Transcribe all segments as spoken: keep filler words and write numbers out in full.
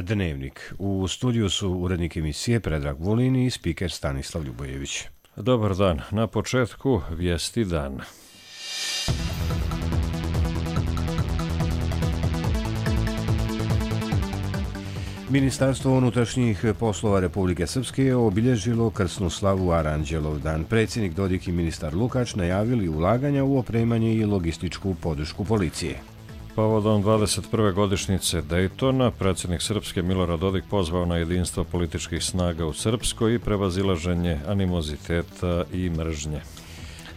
Dnevnik. U studiju su urednik emisije Predrag Vulin i spiker Stanislav Ljubojević. Dobar dan. Na početku vijesti dana. Ministarstvo unutrašnjih poslova Republike Srpske je obilježilo krsnu slavu Aranđelov dan. Predsjednik Dodik i ministar Lukač najavili ulaganja u opremanje i logističku podršku policije. Povodom dvadeset prve godišnjice Dejtona, predsjednik Srpske Milorad Dodik pozvao na jedinstvo političkih snaga u Srpskoj i prevazilaženje animoziteta i mržnje.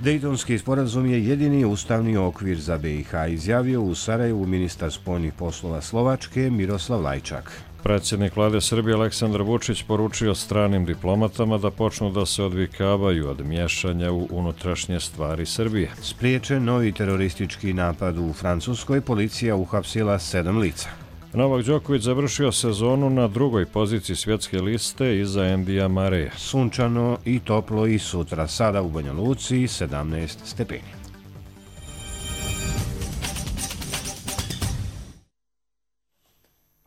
Dejtonski sporazum je jedini ustavni okvir za B i H, izjavio u Sarajevu ministar spoljnih poslova Slovačke Miroslav Lajčak. Predsjednik vlade Srbije Aleksandar Vučić poručio stranim diplomatama da počnu da se odvikavaju od miješanja u unutrašnje stvari Srbije. Spriječen novi teroristički napad u Francuskoj, policija uhapsila sedam lica. Novak Đoković završio sezonu na drugoj poziciji svjetske liste iza Endija Mareja. Sunčano i toplo i sutra, sada u Banja Luci sedamnaest stepeni.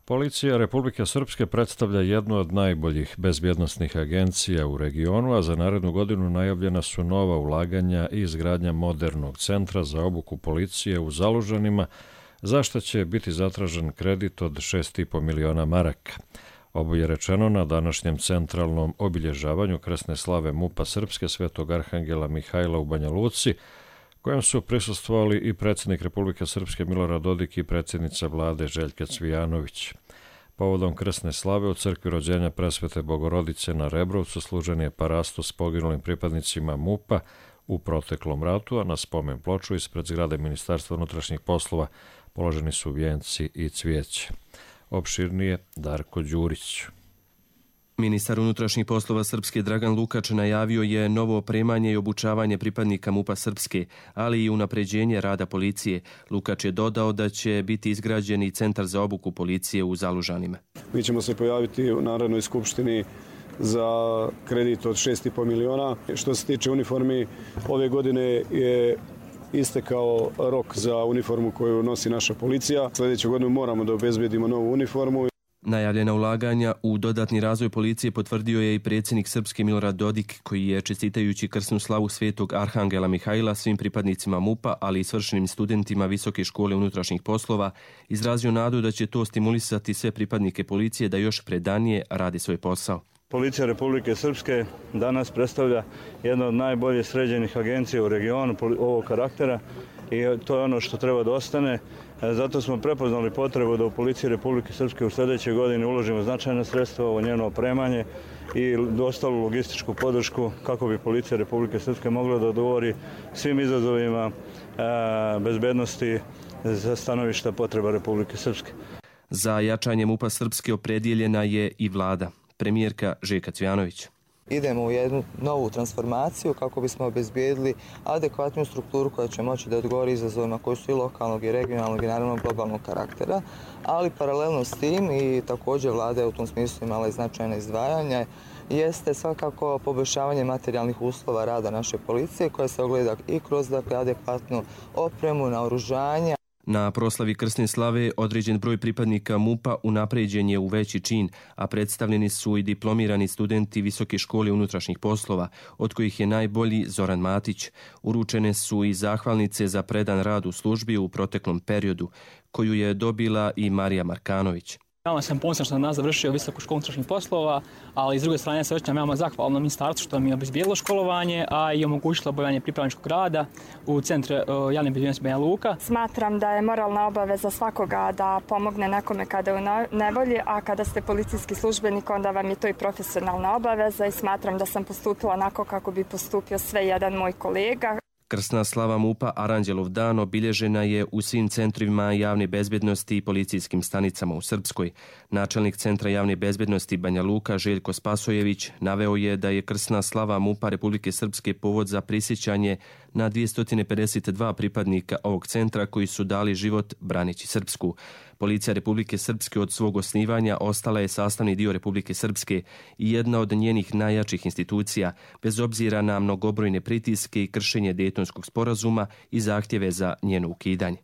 Policija Republike Srpske predstavlja jednu od najboljih bezbjednosnih agencija u regionu, a za narednu godinu najavljena su nova ulaganja i izgradnja modernog centra za obuku policije u Zalužanima, za što će biti zatražen kredit od šest i po miliona maraka. Ovo je rečeno na današnjem centralnom obilježavanju krsne slave MUP-a Srpske Svetog Arhangela Mihajla u Banja Luci, kojem su prisustvovali i predsjednik Republike Srpske Milorad Dodik i predsjednica vlade Željka Cvijanović. Povodom krsne slave u crkvi rođenja Presvete Bogorodice na Rebrovcu služen je parasto s poginulim pripadnicima MUP-a u proteklom ratu, a na spomen ploču ispred zgrade Ministarstva unutrašnjih poslova položeni su vijenci i cvijeće. Opširnije Darko Đurić. Ministar unutrašnjih poslova Srpske Dragan Lukač najavio je novo opremanje i obučavanje pripadnika MUP-a Srpske, ali i unapređenje rada policije. Lukač je dodao da će biti izgrađen i centar za obuku policije u Zalužanima. Mi ćemo se pojaviti u Narodnoj skupštini za kredit od šest i po miliona. Što se tiče uniformi, ove godine je istekao rok za uniformu koju nosi naša policija. Sljedeću godinu moramo da obezbedimo novu uniformu. Najavljena ulaganja u dodatni razvoj policije potvrdio je i predsjednik Srpske Milorad Dodik, koji je čestitajući krsnu slavu Svetog Arhangela Mihajla svim pripadnicima MUP-a, ali i svršenim studentima Visoke škole unutrašnjih poslova, izrazio nadu da će to stimulisati sve pripadnike policije da još predanije rade svoj posao. Policija Republike Srpske danas predstavlja jednu od najbolje sređenih agencija u regionu ovog karaktera i to je ono što treba da ostane. Zato smo prepoznali potrebu da u Policiji Republike Srpske u sljedećoj godini uložimo značajna sredstva u njeno opremanje i ostalu logističku podršku kako bi Policija Republike Srpske mogla da odgovori svim izazovima bezbednosti za stanovišta potreba Republike Srpske. Za jačanje MUP-a Srpske opredjeljena je i vlada. Premijerka Željka Cvijanović. Idemo u jednu novu transformaciju kako bismo obezbijedili adekvatnu strukturu koja će moći da odgovori izazovima koji su i lokalnog i regionalnog i naravno globalnog karaktera, ali paralelno s tim i također vlada je u tom smislu imala i značajne izdvajanja, jeste svakako poboljšavanje materijalnih uslova rada naše policije koja se ogleda i kroz dakle, adekvatnu opremu, naoružanja. Na proslavi krsne slave određen broj pripadnika MUP-a unapređen je u veći čin, a predstavljeni su i diplomirani studenti Visoke škole unutrašnjih poslova, od kojih je najbolji Zoran Matić. Uručene su i zahvalnice za predan rad u službi u proteklom periodu, koju je dobila i Marija Markanović. Veoma sam ponosan što sam nas završio Visoku školu unutrašnjih poslova, ali s druge strane se osjećam veoma zahvalno ministarstvu što mi je obezbijedilo školovanje, a i omogućilo obavljanje pripravničkog rada u Centru javne bezbjednosti Banja Luka. Smatram da je moralna obaveza svakoga da pomogne nekome kada je u nevolji, a kada ste policijski službenik, onda vam je to i profesionalna obaveza i smatram da sam postupila onako kako bi postupio sve jedan moj kolega. Krsna slava MUP-a Aranđelov dan obilježena je u svim centrima javne bezbjednosti i policijskim stanicama u Srpskoj. Načelnik Centra javne bezbjednosti Banja Luka Željko Spasojević naveo je da je krsna slava MUP-a Republike Srpske povod za prisjećanje na dvjesto pedeset dva pripadnika ovog centra koji su dali život braneći Srpsku. Policija Republike Srpske od svog osnivanja ostala je sastavni dio Republike Srpske i jedna od njenih najjačih institucija, bez obzira na mnogobrojne pritiske i kršenje Dejtonskog sporazuma i zahtjeve za njeno ukidanje.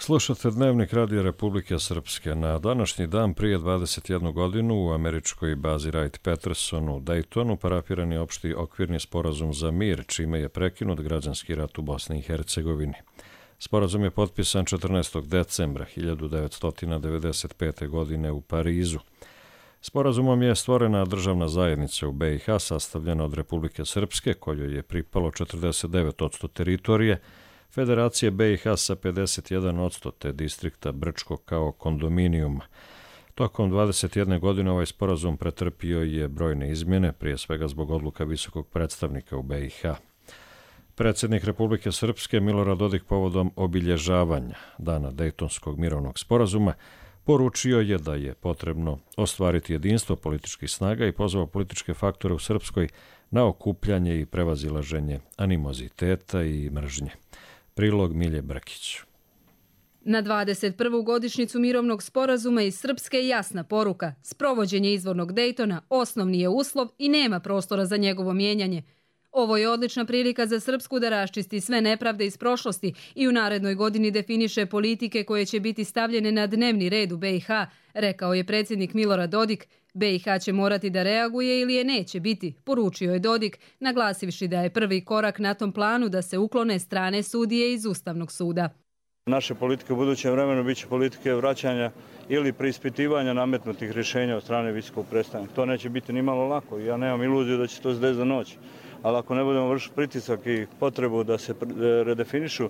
Slušate Dnevnik Radija Republike Srpske. Na današnji dan prije dvadeset jednu godinu u američkoj bazi Wright-Patterson u Daytonu parafiran je opšti okvirni sporazum za mir, čime je prekinut građanski rat u Bosni i Hercegovini. Sporazum je potpisan četrnaestog decembra hiljadu devetsto devedeset pete. godine u Parizu. Sporazumom je stvorena državna zajednica u be i ha sastavljena od Republike Srpske, kojoj je pripalo četrdeset devet posto teritorije, Federacije be i ha sa pedeset jedan posto te distrikta Brčko kao kondominijuma. Tokom dvadeset jedne godine ovaj sporazum pretrpio je brojne izmjene, prije svega zbog odluka visokog predstavnika u be i ha. Predsjednik Republike Srpske Milorad Dodik povodom obilježavanja Dana Dejtonskog mirovnog sporazuma poručio je da je potrebno ostvariti jedinstvo političkih snaga i pozvao političke faktore u Srpskoj na okupljanje i prevazilaženje animoziteta i mržnje. Prilog Milje Brkić. Na dvadeset prvu godišnjicu mirovnog sporazuma iz Srpske je jasna poruka. Sprovođenje izvornog Dejtona osnovni je uslov i nema prostora za njegovo mijenjanje. Ovo je odlična prilika za Srpsku da raščisti sve nepravde iz prošlosti i u narednoj godini definiše politike koje će biti stavljene na dnevni red u be i ha, rekao je predsjednik Milorad Dodik. be i ha će morati da reaguje ili je neće biti, poručio je Dodik, naglasivši da je prvi korak na tom planu da se uklone strane sudije iz Ustavnog suda. Naše politike u budućem vremenu biće politike vraćanja ili preispitivanja nametnutih rješenja od strane visokog predstavnika. To neće biti ni malo lako. Ja nemam iluziju da će to se desiti za noć. Ali ako ne budemo vršiti pritisak i potrebu da se redefinišu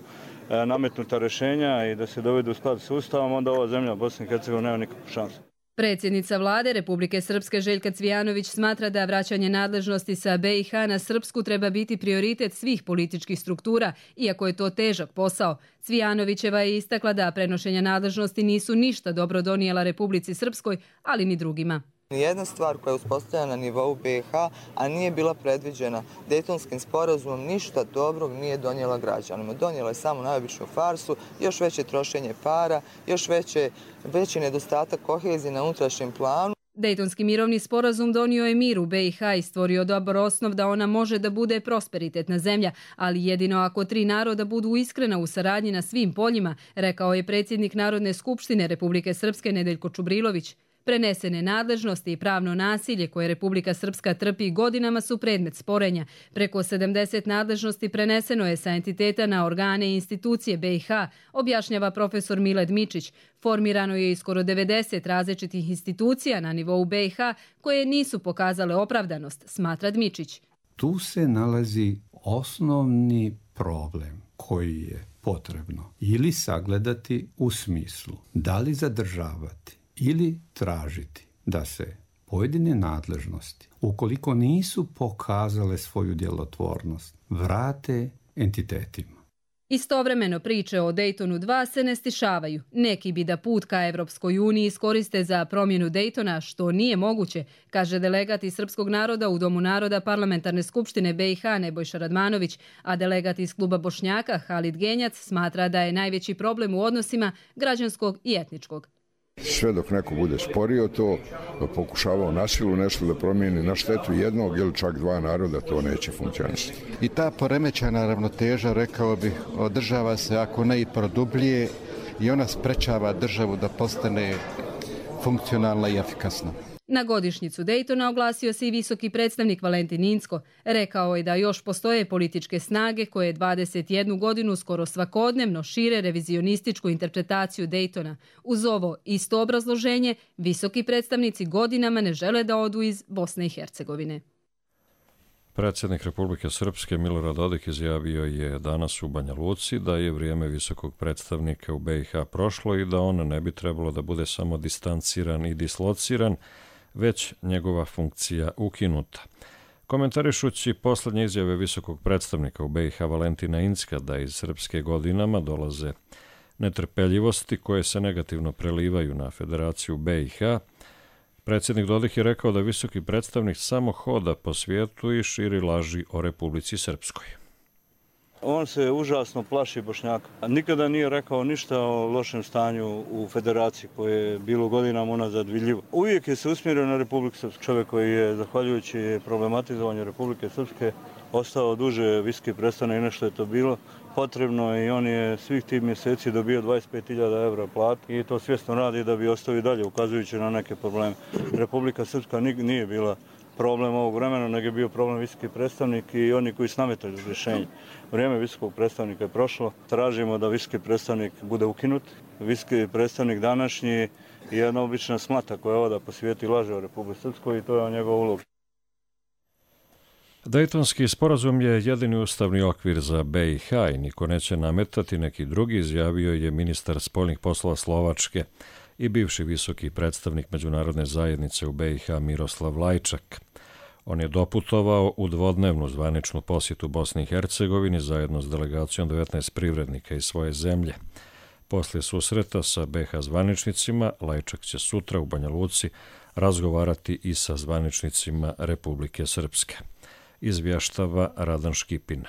nametnuta rješenja i da se dovedu u sklad s Ustavom, onda ova zemlja Bosna i Hercegovina nema nikakvu šansu. Predsjednica vlade Republike Srpske Željka Cvijanović smatra da vraćanje nadležnosti sa be i ha na Srpsku treba biti prioritet svih političkih struktura, iako je to težak posao. Cvijanovićeva je istakla da prenošenja nadležnosti nisu ništa dobro donijela Republici Srpskoj, ali ni drugima. Jedna stvar koja je uspostavljena na nivou be i ha, a nije bila predviđena Dejtonskim sporazumom, ništa dobrog nije donijela građanima. Donijela je samo najobičnu farsu, još veće trošenje para, još veće, veći nedostatak kohezije na unutrašnjem planu. Dejtonski mirovni sporazum donio je mir u be i ha i stvorio dobar osnov da ona može da bude prosperitetna zemlja, ali jedino ako tri naroda budu iskrena u saradnji na svim poljima, rekao je predsjednik Narodne skupštine Republike Srpske Nedeljko Čubrilović. Prenesene nadležnosti i pravno nasilje koje Republika Srpska trpi godinama su predmet sporenja. Preko sedamdeset nadležnosti preneseno je sa entiteta na organe i institucije be i ha, objašnjava profesor Miled Mičić. Formirano je i skoro devedeset različitih institucija na nivou be i ha koje nisu pokazale opravdanost, smatra Dmičić. Tu se nalazi osnovni problem koji je potrebno ili sagledati u smislu da li zadržavati ili tražiti da se pojedine nadležnosti, ukoliko nisu pokazale svoju djelotvornost, vrate entitetima. Istovremeno priče o Dejtonu dva se ne stišavaju. Neki bi da put ka Evropskoj uniji iskoriste za promjenu Dejtona, što nije moguće, kaže delegat iz srpskog naroda u Domu naroda Parlamentarne skupštine be i ha Nebojša Radmanović, a delegat iz kluba Bošnjaka Halid Genjac smatra da je najveći problem u odnosima građanskog i etničkog. Sve dok neko bude sporio to, pokušavao na silu nešto da promijeni na štetu jednog ili čak dva naroda, to neće funkcionisati. I ta poremećana ravnoteža, rekao bih, održava se ako ne i produblje i ona sprečava državu da postane funkcionalna i efikasna. Na godišnjicu Dejtona oglasio se i visoki predstavnik Valentin Incko. Rekao je da još postoje političke snage koje dvadeset jednu godinu skoro svakodnevno šire revizionističku interpretaciju Dejtona. Uz ovo isto obrazloženje, visoki predstavnici godinama ne žele da odu iz Bosne i Hercegovine. Predsjednik Republike Srpske Milorad Dodik izjavio je danas u Banja Luci da je vrijeme visokog predstavnika u be i ha prošlo i da on ne bi trebalo da bude samo distanciran i dislociran, već njegova funkcija ukinuta. Komentarišući posljednje izjave visokog predstavnika u be i ha Valentina Incka da iz Srpske godinama dolaze netrpeljivosti koje se negativno prelivaju na Federaciju be i ha, predsjednik Dodik je rekao da visoki predstavnik samo hoda po svijetu i širi laži o Republici Srpskoj. On se užasno plaši Bošnjaka. Nikada nije rekao ništa o lošem stanju u Federaciji koje je bilo godinama unazad vidljivo. Uvijek je se usmjerio na Republiku Srpsku. Čovjek koji je, zahvaljujući problematizovanju Republike Srpske, ostao duže viski predstavnik nešto je to bilo potrebno i on je svih tih mjeseci dobio dvadeset pet hiljada evra platu i to svjesno radi da bi ostao i dalje ukazujući na neke probleme. Republika Srpska nije bila problem ovog vremena, nego je bio problem visoki predstavnik i oni koji su nametali rješenje. Vrijeme visokog predstavnika je prošlo. Tražimo da visoki predstavnik bude ukinut. Visoki predstavnik današnji je jedna obična smata koja oda po svijetu i laže o Republici Srpskoj i to je njegov ulog. Dejtonski sporazum je jedini ustavni okvir za B i H i niko neće nametati neki drugi, izjavio je ministar spoljnih poslova Slovačke i bivši visoki predstavnik međunarodne zajednice u B i H Miroslav Lajčak. On je doputovao u dvodnevnu zvaničnu posjetu Bosni i Hercegovini zajedno s delegacijom devetnaest privrednika iz svoje zemlje. Poslije susreta sa B i H zvaničnicima, Lajčak će sutra u Banja Luci razgovarati i sa zvaničnicima Republike Srpske. Izvještava Radan Škipin.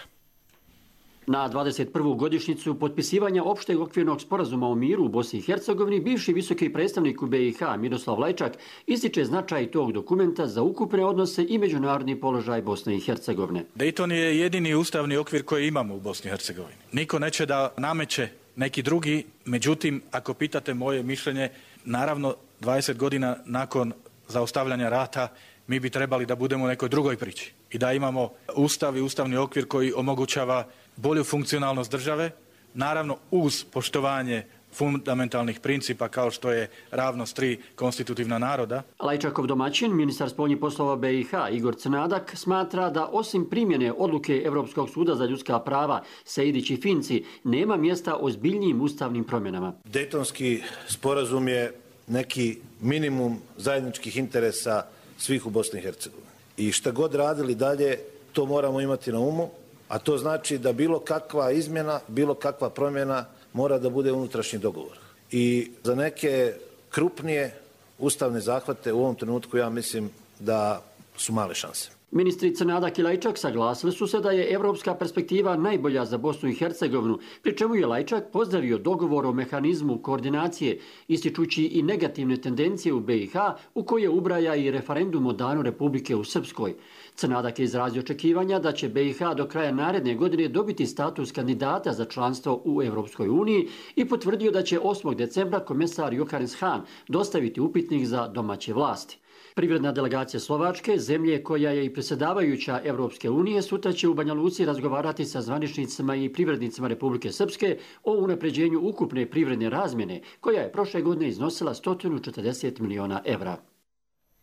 Na dvadeset prvu godišnjicu potpisivanja opšteg okvirnog sporazuma o miru u Bosni i Hercegovini, bivši visoki predstavnik u B i H Miroslav Lajčak ističe značaj tog dokumenta za ukupne odnose i međunarodni položaj Bosne i Hercegovine. Dejton je jedini ustavni okvir koji imamo u Bosni i Hercegovini. Niko neće da nameće neki drugi, međutim, ako pitate moje mišljenje, naravno dvadeset godina nakon zaustavljanja rata mi bi trebali da budemo u nekoj drugoj priči i da imamo ustav i ustavni okvir koji omogućava bolju funkcionalnost države, naravno uz poštovanje fundamentalnih principa kao što je ravnost tri konstitutivna naroda. Lajčakov domaćin, ministar spoljnih poslova B i H Igor Crnadak, smatra da osim primjene odluke Evropskog suda za ljudska prava Sejdić i Finci nema mjesta ozbiljnijim ustavnim promjenama. Dejtonski sporazum je neki minimum zajedničkih interesa svih u Bosni i Hercegovini. I šta god radili dalje, to moramo imati na umu, a to znači da bilo kakva izmjena, bilo kakva promjena mora da bude unutrašnji dogovor. I za neke krupnije ustavne zahvate u ovom trenutku ja mislim da su male šanse. Ministri Crnadak i Lajčak saglasili su se da je evropska perspektiva najbolja za Bosnu i Hercegovinu, pri čemu je Lajčak pozdravio dogovor o mehanizmu koordinacije, ističući i negativne tendencije u B i H, u koje ubraja i referendum o danu Republike u Srpskoj. Crnadak je izrazio očekivanja da će B i H do kraja naredne godine dobiti status kandidata za članstvo u Evropskoj uniji i potvrdio da će osmog decembra komesar Johannes Hahn dostaviti upitnik za domaće vlasti. Privredna delegacija Slovačke, zemlje koja je i predsjedavajuća Evropske unije, sutra će u Banja Luci razgovarati sa zvaničnicima i privrednicima Republike Srpske o unapređenju ukupne privredne razmjene, koja je prošle godine iznosila sto četrdeset miliona evra.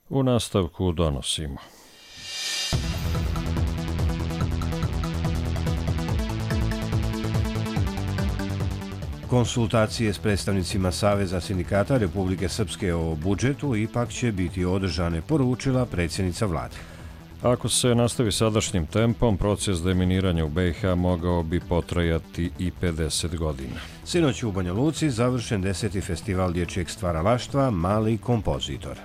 U nastavku donosimo. Konsultacije s predstavnicima Saveza sindikata Republike Srpske o budžetu ipak će biti održane, poručila predsjednica vlade. Ako se nastavi sadašnjim tempom, proces deminiranja u B i H mogao bi potrajati i pedeset godina. Sinoć u Banja Luci završen deseti festival dječjeg stvaralaštva Mali kompozitor.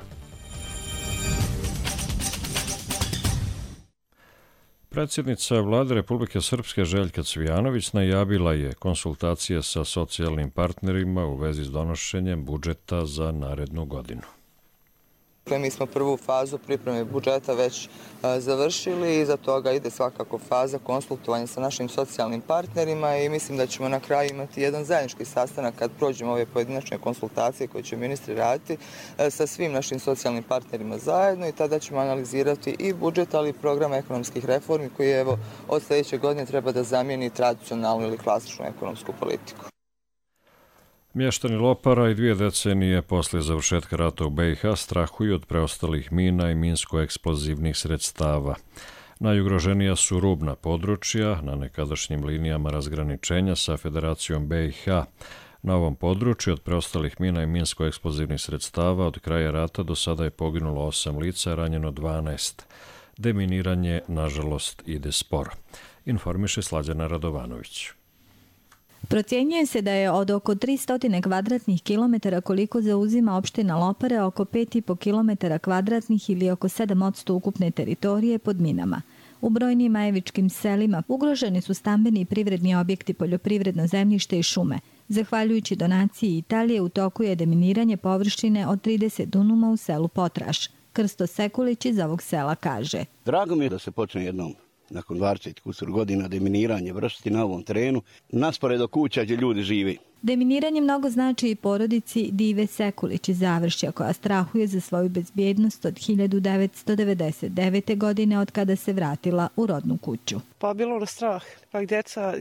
Predsjednica vlade Republike Srpske Željka Cvijanović najavila je konsultacije sa socijalnim partnerima u vezi s donošenjem budžeta za narednu godinu. Mi smo prvu fazu pripreme budžeta već završili i iza toga ide svakako faza konsultovanja sa našim socijalnim partnerima i mislim da ćemo na kraju imati jedan zajednički sastanak kad prođemo ove pojedinačne konsultacije koje će ministri raditi sa svim našim socijalnim partnerima zajedno i tada ćemo analizirati i budžet, ali i program ekonomskih reformi koji evo od sljedeće godine treba da zamijeni tradicionalnu ili klasičnu ekonomsku politiku. Mještani Lopara i dvije decenije poslije završetka rata u B i H strahuju od preostalih mina i minsko-eksplozivnih sredstava. Najugroženija su rubna područja na nekadašnjim linijama razgraničenja sa Federacijom B i H. Na ovom području od preostalih mina i minsko-eksplozivnih sredstava od kraja rata do sada je poginulo osam lica, ranjeno dvanaest. Deminiranje, nažalost, ide sporo. Informiše Slađana Radovanović. Procjenjuje se da je od oko tristo kvadratnih kilometara koliko zauzima opština Lopare oko pet i po kilometara kvadratnih ili oko sedam posto ukupne teritorije pod minama. U brojnim majevičkim selima ugroženi su stambeni i privredni objekti, poljoprivredno zemljište i šume. Zahvaljujući donaciji Italije u toku je deminiranje površine od trideset dunuma u selu Potraš. Krsto Sekulić iz ovog sela kaže. Drago mi je da se počne jednom nakon dvadeset kusur godina deminiranje vršiti na ovom terenu, nasporedo kuća gdje ljudi žive. Deminiranje mnogo znači i porodici Dive Sekulić iz Završja, koja strahuje za svoju bezbjednost od hiljadu devetsto devedeset devete. godine od kada se vratila u rodnu kuću. Pa bilo ono strah, pa djeca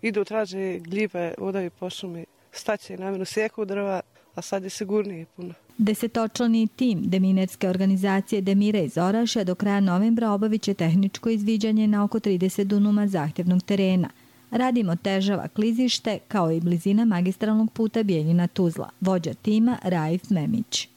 idu traže gljive, odaju po šumi, staće namjenu sjeku drva, a sad je sigurnije puno. Desetočlani tim deminerske organizacije Demire iz Orašja do kraja novembra obavit će tehničko izviđanje na oko trideset dunuma zahtjevnog terena. Radim otežava klizište kao i blizina magistralnog puta Bijeljina-Tuzla. Vođa tima Raif Memić.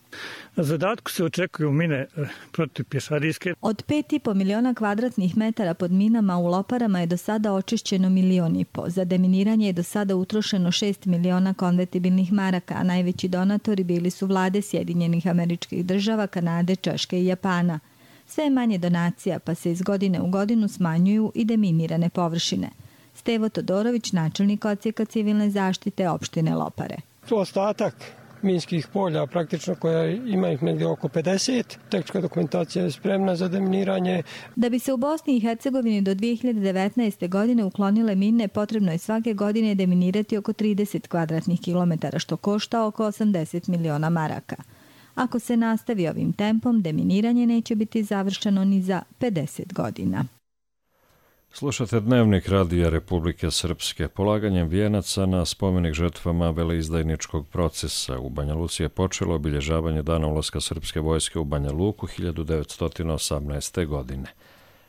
Na zadatku se očekuju mine protipješadijske. Od pet i po miliona kvadratnih metara pod minama u Loparama je do sada očišćeno milion i po. Za deminiranje je do sada utrošeno šest miliona konvertibilnih maraka, a najveći donatori bili su vlade Sjedinjenih Američkih Država, Kanade, Češke i Japana. Sve je manje donacija, pa se iz godine u godinu smanjuju i deminirane površine. Stevo Todorović, načelnik odsjeka civilne zaštite opštine Lopare. To ostatak minskih polja, praktično koja ima ih negdje oko pedeset. Tehnička dokumentacija je spremna za deminiranje. Da bi se u Bosni i Hercegovini do dvije hiljade devetnaeste. godine uklonile mine, potrebno je svake godine deminirati oko trideset kvadratnih kilometara, što košta oko osamdeset miliona maraka. Ako se nastavi ovim tempom, deminiranje neće biti završeno ni za pedeset godina. Slušate Dnevnik Radija Republike Srpske. Polaganjem vijenaca na spomenik žrtvama veleizdajničkog procesa u Banja Luci je počelo obilježavanje dana ulaska srpske vojske u Banja Luku hiljadu devetsto osamnaeste. godine.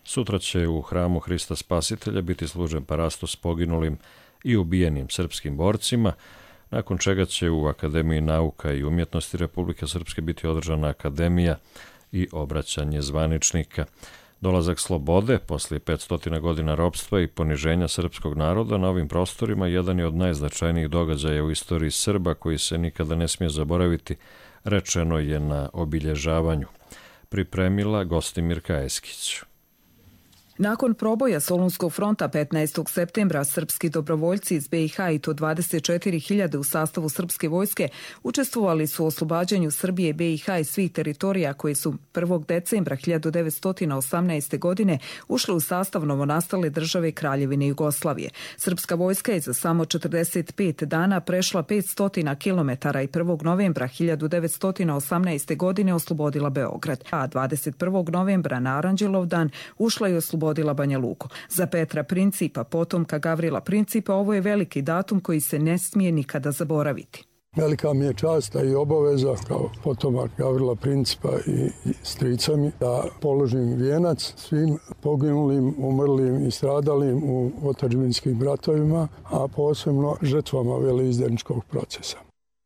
Sutra će u hramu Hrista Spasitelja biti služen parastos poginulim i ubijenim srpskim borcima, nakon čega će u Akademiji nauka i umjetnosti Republike Srpske biti održana akademija i obraćanje zvaničnika. Dolazak slobode poslije petsto godina ropstva i poniženja srpskog naroda na ovim prostorima jedan je od najznačajnijih događaja u istoriji Srba koji se nikada ne smije zaboraviti, rečeno je na obilježavanju. Pripremila Gostimirka Eskić. Nakon proboja Solunskog fronta petnaestog septembra, srpski dobrovoljci iz be i ha i to dvadeset četiri hiljade u sastavu srpske vojske učestvovali su u oslobađanju Srbije, be i ha i svih teritorija koji su prvog decembra hiljadu devetsto osamnaeste. godine ušli u sastav novonastale države Kraljevine Jugoslavije. Srpska vojska je za samo četrdeset pet dana prešla petsto kilometara i prvog novembra hiljadu devetsto osamnaeste. godine oslobodila Beograd, a dvadeset prvog novembra na Aranđelovdan ušla i oslobodila Odila Banja Luku. Za Petra Principa, potomka Gavrila Principa, ovo je veliki datum koji se ne smije nikada zaboraviti. Velika mi je čast i obaveza kao potomak Gavrila Principa i strica mi da položim vijenac svim poginulim, umrlim i stradalim u otadžbinskim ratovima, a posebno žrtvama veleizdajničkog procesa.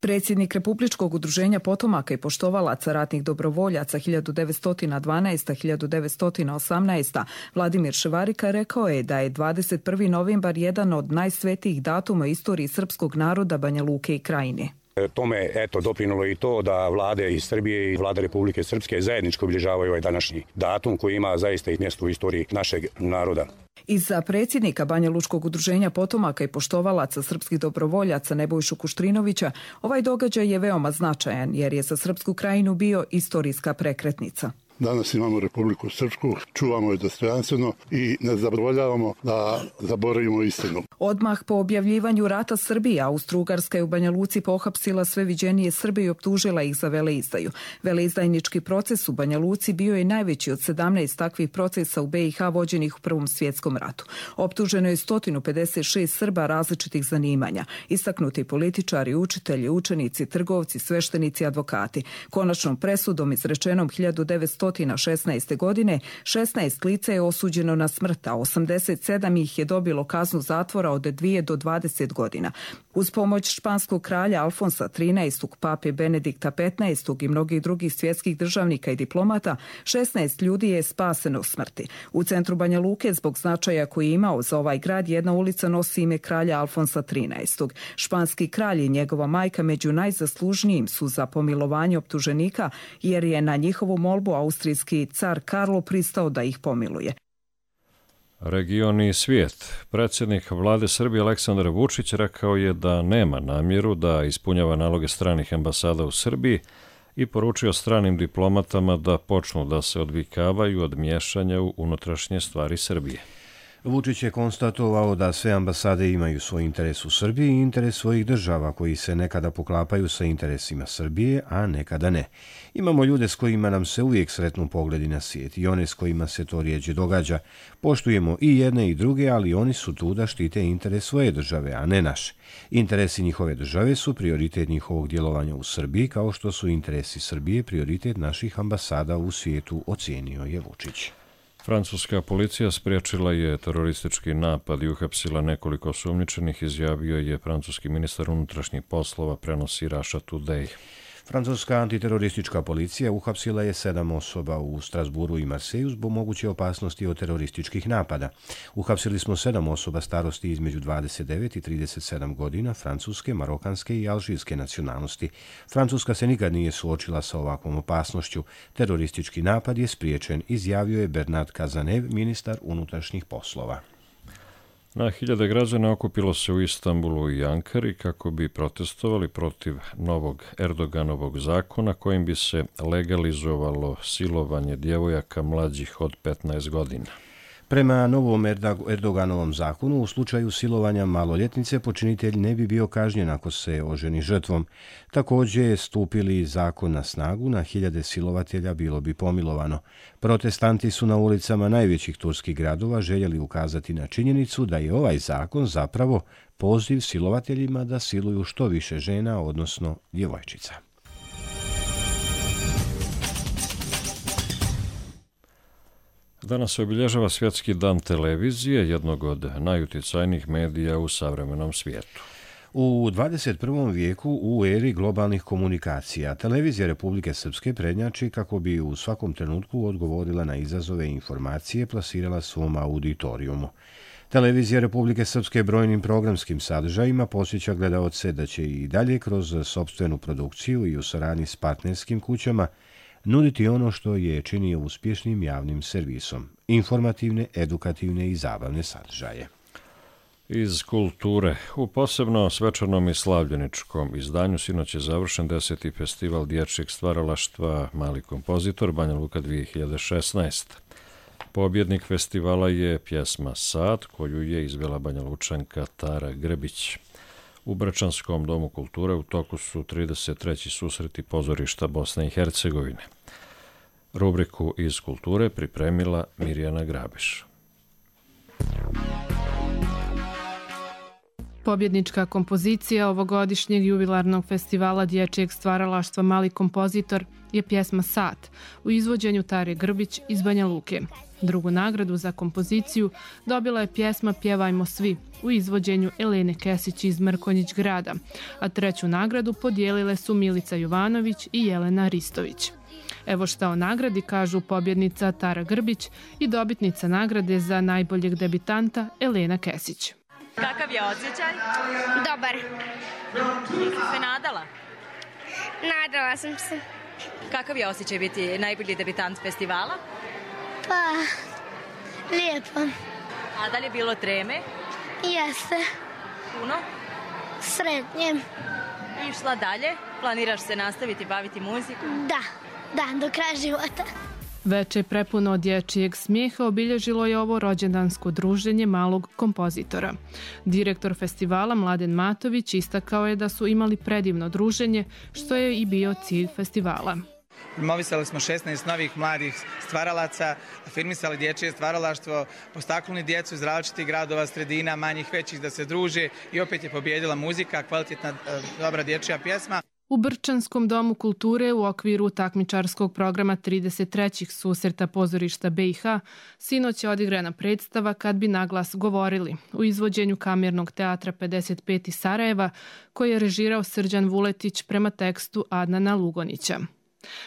Predsjednik Republičkog udruženja potomaka i poštovalaca ratnih dobrovoljaca hiljadu devetsto dvanaeste. do hiljadu devetsto osamnaeste. Vladimir Ševarika rekao je da je dvadeset prvi novembar jedan od najsvetijih datuma istoriji srpskog naroda, Banja Luke i Krajine. Tome eto doprinulo i to da vlade iz Srbije i vlada Republike Srpske zajednički obilježavaju ovaj današnji datum koji ima zaista i mjesto u istoriji našeg naroda. Iza predsjednika Banja Lučkog udruženja potomaka i poštovalaca srpskih dobrovoljaca Nebojšu Kuštrinovića, ovaj događaj je veoma značajan jer je za Srpsku Krajinu bio istorijska prekretnica. Danas imamo Republiku Srpsku, čuvamo je dostojanstveno i ne zaboravljavamo da zaboravimo istinu. Odmah po objavljivanju rata Srbije, Austro-Ugarska je u Banja Luci pohapsila sve viđenije Srbe i optužila ih za veleizdaju. Veleizdajnički proces u Banja Luci bio je najveći od sedamnaest takvih procesa u be i ha vođenih u Prvom svjetskom ratu. Optuženo je sto pedeset šest Srba različitih zanimanja, istaknuti političari, učitelji, učenici, trgovci, sveštenici, advokati. Konačnom presudom izrečenom hiljadu devetsto šesnaeste. godine šesnaest lica je osuđeno na smrt, a osamdeset sedam ih je dobilo kaznu zatvora od dvije do dvadeset godina. Uz pomoć španskog kralja Alfonsa trinaestog, pape Benedikta petnaestog i mnogih drugih svjetskih državnika i diplomata, šesnaest ljudi je spaseno smrti. U centru Banja Luke, zbog značaja koji je imao za ovaj grad, jedna ulica nosi ime kralja Alfonsa trinaestog. Španski kralj i njegova majka među najzaslužnijim su za pomilovanje optuženika, jer je na njihovu molbu austrijski car Karlo pristao da ih pomiluje. Region i svijet. Predsjednik vlade Srbije Aleksandar Vučić rekao je da nema namjeru da ispunjava naloge stranih ambasada u Srbiji i poručio stranim diplomatama da počnu da se odvikavaju od miješanja u unutrašnje stvari Srbije. Vučić je konstatovao da sve ambasade imaju svoj interes u Srbiji i interes svojih država koji se nekada poklapaju sa interesima Srbije, a nekada ne. Imamo ljude s kojima nam se uvijek sretnu pogledi na svijet i one s kojima se to rijeđe događa. Poštujemo i jedne i druge, ali oni su tu da štite interes svoje države, a ne naš. Interesi njihove države su prioritet njihovog djelovanja u Srbiji, kao što su interesi Srbije prioritet naših ambasada u svijetu, ocijenio je Vučić. Francuska policija spriječila je teroristički napad i uhapsila nekoliko osumnjičenih, izjavio je francuski ministar unutrašnjih poslova, prenosi Russia Today. Francuska antiteroristička policija uhapsila je sedam osoba u Strasburu i Marseju zbog moguće opasnosti od terorističkih napada. Uhapsili smo sedam osoba starosti između dvadeset devet i trideset sedam godina, francuske, marokanske i alžirske nacionalnosti. Francuska se nikad nije suočila sa ovakvom opasnošću. Teroristički napad je spriječen, izjavio je Bernard Cazeneuve, ministar unutrašnjih poslova. Na hiljade građana okupilo se u Istanbulu i Ankari kako bi protestovali protiv novog Erdoganovog zakona kojim bi se legalizovalo silovanje djevojaka mlađih od petnaest godina. Prema novom Erdoganovom zakonu, u slučaju silovanja maloljetnice, počinitelj ne bi bio kažnjen ako se oženi žrtvom. Također je stupili zakon na snagu, na hiljade silovatelja bilo bi pomilovano. Protestanti su na ulicama najvećih turskih gradova željeli ukazati na činjenicu da je ovaj zakon zapravo poziv silovateljima da siluju što više žena, odnosno djevojčica. Danas se obilježava Svjetski dan televizije, jednog od najuticajnijih medija u savremenom svijetu. U dvadeset prvom vijeku, u eri globalnih komunikacija, televizija Republike Srpske prednjači kako bi u svakom trenutku odgovorila na izazove i informacije, plasirala svom auditorijumu. Televizija Republike Srpske brojnim programskim sadržajima posjeća gledaoce da će i dalje kroz sopstvenu produkciju i u saradnji s partnerskim kućama nuditi ono što je činio uspješnim javnim servisom, informativne, edukativne i zabavne sadržaje. Iz kulture. U posebno svečanom i slavljeničkom izdanju sinoć je završen deseti festival dječjeg stvaralaštva Mali kompozitor Banja Luka dvije hiljade šesnaeste. Pobjednik festivala je pjesma Sad, koju je izvela Banja Lučanka Tara Grbić. U Brčanskom domu kulture u toku su trideset treći susreti pozorišta Bosne i Hercegovine. Rubriku iz kulture pripremila Mirjana Grabiš. Pobjednička kompozicija ovogodišnjeg jubilarnog festivala dječjeg stvaralaštva Mali kompozitor je pjesma Sat u izvođenju Tare Grbić iz Banja Luke. Drugu nagradu za kompoziciju dobila je pjesma Pjevajmo svi u izvođenju Elene Kesić iz Mrkonjić grada, a treću nagradu podijelile su Milica Jovanović i Jelena Ristović. Evo šta o nagradi kažu pobjednica Tara Grbić i dobitnica nagrade za najboljeg debitanta Elena Kesić. Kakav je osjećaj? Dobar. Jesi se nadala? Nadala sam se. Kakav je osjećaj biti najbolji debitant festivala? Pa, lijepo. A da li je bilo treme? Jeste. Puno? Sretnje. Išla dalje? Planiraš se nastaviti baviti muzikom? Da, da, do kraja života. Veče prepuno dječjeg smijeha obilježilo je ovo rođendansko druženje malog kompozitora. Direktor festivala Mladen Matović istakao je da su imali predivno druženje, što je i bio cilj festivala. Promovisali smo šesnaest novih mladih stvaralaca, afirmisali dječje stvaralaštvo, postaknuli djecu iz različitih gradova, sredina, manjih, većih da se druže i opet je pobjedila muzika, kvalitetna, dobra dječja pjesma. U Brčanskom domu kulture u okviru takmičarskog programa trideset trećih susreta pozorišta B i H sinoć je odigrana predstava Kad bi naglas govorili u izvođenju Kamernog teatra pedeset pet iz Sarajeva koji je režirao Srđan Vuletić prema tekstu Adnana Lugonića.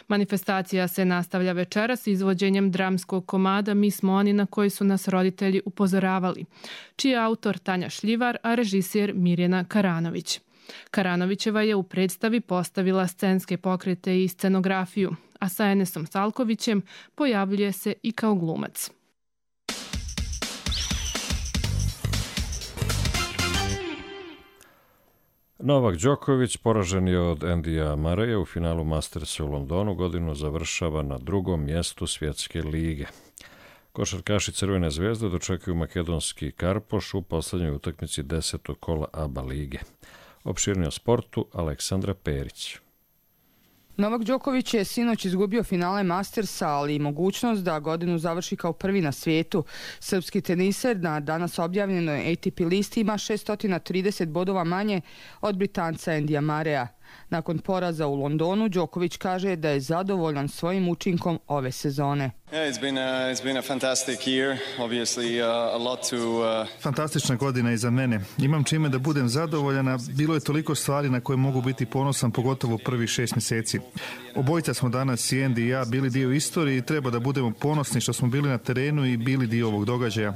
Manifestacija se nastavlja večeras izvođenjem dramskog komada Mi smo oni na koji su nas roditelji upozoravali, čiji je autor Tanja Šljivar, a režisir Mirjana Karanović. Karanovićeva je u predstavi postavila scenske pokrete i scenografiju, a sa Enesom Salkovićem pojavljuje se i kao glumac. Novak Đoković poražen je od Andija Murraya u finalu Mastersa u Londonu, godinu završava na drugom mjestu svjetske lige. Košarkaši Crvene zvezde dočekuju makedonski Karpoš u posljednjoj utakmici desetog kola A B A lige. Opširnije o sportu Aleksandra Perić. Novak Đoković je sinoć izgubio finale Mastersa, ali i mogućnost da godinu završi kao prvi na svijetu. Srpski teniser na danas objavljenoj A T P listi ima šesto trideset bodova manje od Britanca Andija Murraya. Nakon poraza u Londonu, Đoković kaže da je zadovoljan svojim učinkom ove sezone. Fantastična godina iza mene. Imam čime da budem zadovoljan, bilo je toliko stvari na koje mogu biti ponosan, pogotovo prvih šest mjeseci. Obojica smo danas, i Andy i ja, bili dio istorije i treba da budemo ponosni što smo bili na terenu i bili dio ovog događaja.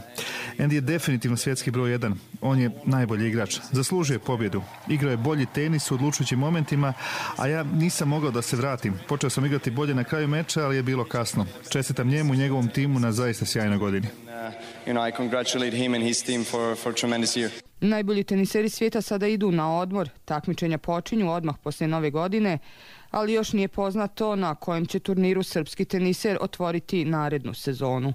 Andy je definitivno svjetski broj jedan. On je najbolji igrač. Zaslužuje pobjedu. Igrao je bolji tenis u odlučujućim momentima, a ja nisam mogao da se vratim. Počeo sam igrati bolje na kraju meča, ali je bilo kasno. Čestitam njemu i njegovom timu na zaista sjajnoj godini. Najbolji teniseri svijeta sada idu na odmor. Takmičenja počinju odmah poslije nove godine, ali još nije poznato na kojem će turniru srpski teniser otvoriti narednu sezonu.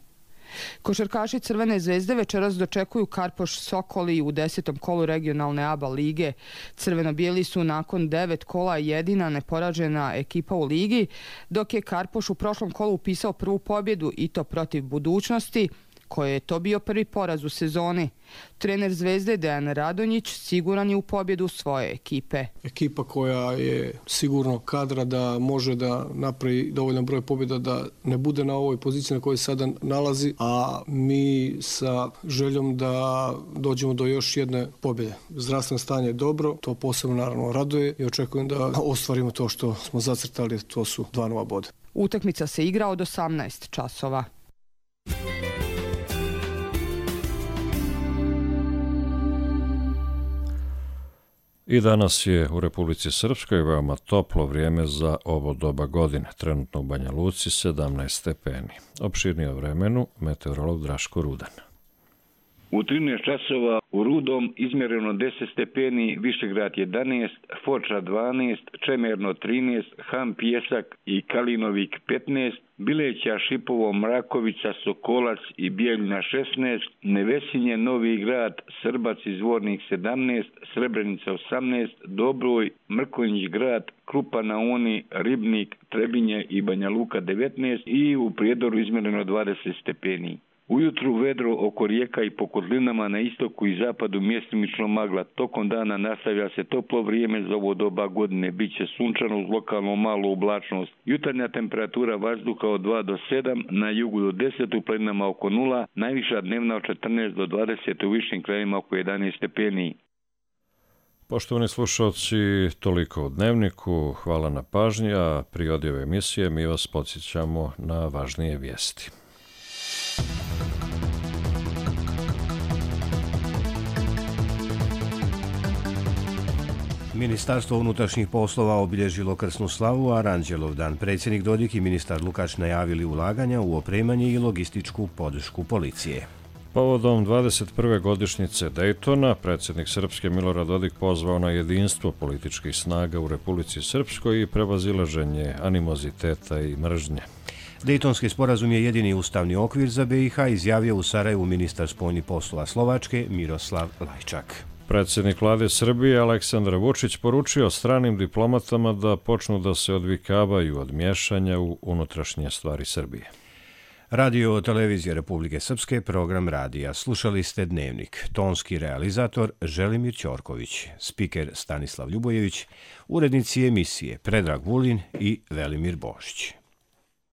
Košarkaši Crvene zvezde večeras dočekuju Karpoš Sokoli u desetom kolu regionalne A B A lige. Crveno-bijeli su nakon devet kola jedina neporažena ekipa u ligi, dok je Karpoš u prošlom kolu upisao prvu pobjedu i to protiv Budućnosti, koje je to bio prvi poraz u sezoni. Trener Zvezde Dejan Radonjić siguran je u pobjedu svoje ekipe. Ekipa koja je sigurno kadra da može da napravi dovoljan broj pobjeda da ne bude na ovoj poziciji na kojoj sada nalazi, a mi sa željom da dođemo do još jedne pobjede. Zdravstveno stanje je dobro, to posebno naravno raduje i očekujem da ostvarimo to što smo zacrtali, to su dva nova boda. Utakmica se igra od osamnaest časova. I danas je u Republici Srpskoj veoma toplo vrijeme za ovo doba godine. Trenutno u Banja Luci sedamnaest stepeni. Opširnije o vremenu meteorolog Draško Rudan. U trinaest časova u Rudom izmjereno deset stepeni, Višegrad jedanaest, Foča dvanaest, Čemerno trinaest, Ham Pjesak i Kalinovik petnaest, Bileća, Šipovo, Mrakovica, Sokolac i Bijeljina šesnaest, Nevesinje, Novi Grad, Srbac i Zvornik sedamnaest, Srebrenica osamnaest, Dobroj, Mrkonjić Grad, Krupa na Oni, Ribnik, Trebinje i Banja Luka devetnaest i u Prijedoru izmjereno dvadeset stepeni. Ujutru vedro oko rijeka i po kotlinama na istoku i zapadu mjestimično magla. Tokom dana nastavlja se toplo vrijeme za ovo doba godine. Biće sunčano uz lokalno malu oblačnost. Jutarnja temperatura vazduha od dva do sedam, na jugu do deset, u planinama oko nula, najviša dnevna od četrnaest do dvadeset, u višim krajevima oko jedanaest stepeni. Poštovani slušalci, toliko u Dnevniku. Hvala na pažnji, a pri odjave emisije mi vas podsjećamo na važnije vijesti. Ministarstvo unutrašnjih poslova obilježilo krsnu slavu Aranđelov dan. Predsjednik Dodik i ministar Lukač najavili ulaganja u opremanje i logističku podršku policije. Povodom dvadeset prve godišnjice Dejtona, predsjednik Srpske Milorad Dodik pozvao na jedinstvo političkih snaga u Republici Srpskoj i prevazilaženje animoziteta i mržnje. Dejtonski sporazum je jedini ustavni okvir za B i H, izjavio u Sarajevu ministar spoljnih poslova Slovačke Miroslav Lajčak. Predsjednik vlade Srbije Aleksandar Vučić poručio stranim diplomatama da počnu da se odvikavaju od miješanja u unutrašnje stvari Srbije. Radio televizija Republike Srpske, program radija. Slušali ste Dnevnik. Tonski realizator Želimir Ćorković, spiker Stanislav Ljubojević, urednici emisije Predrag Vulin i Velimir Bošić.